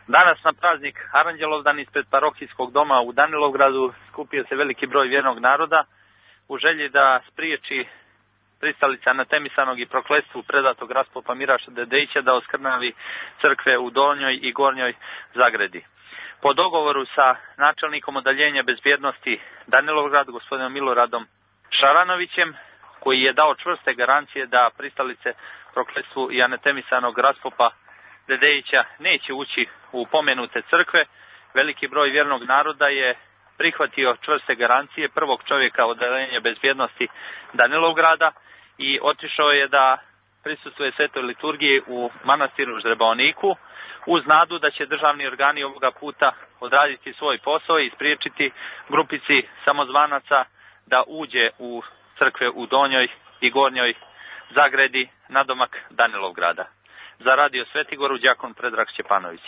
Danas na praznik Aranđelovdan ispred parohijskog doma u Danilovgradu skupio se veliki broj vjernog naroda u želji da spriječi pristalica anatemisanog i prokletstvu predatog raspopa Miraša Dedejića da oskrnavi crkve u Donjoj i Gornjoj Zagredi. Po dogovoru sa načelnikom odeljenja bezbjednosti Danilovgrad, gospodinom Miloradom Šaranovićem, koji je dao čvrste garancije da pristalice prokletstvu i anatemisanog raspopa Dedejića neće ući u pomenute crkve, veliki broj vjernog naroda je prihvatio čvrste garancije prvog čovjeka odeljenja bezbjednosti Danilovgrada i otišao je da prisustvuje svetoj liturgiji u manastiru Ždreboniku uz nadu da će državni organi ovoga puta odraditi svoj posao i spriječiti grupici samozvanaca da uđe u crkve u Donjoj i Gornjoj Zagredi nadomak Danilovgrada. Za radio Svetigoru đakon Predrag Šćepanović.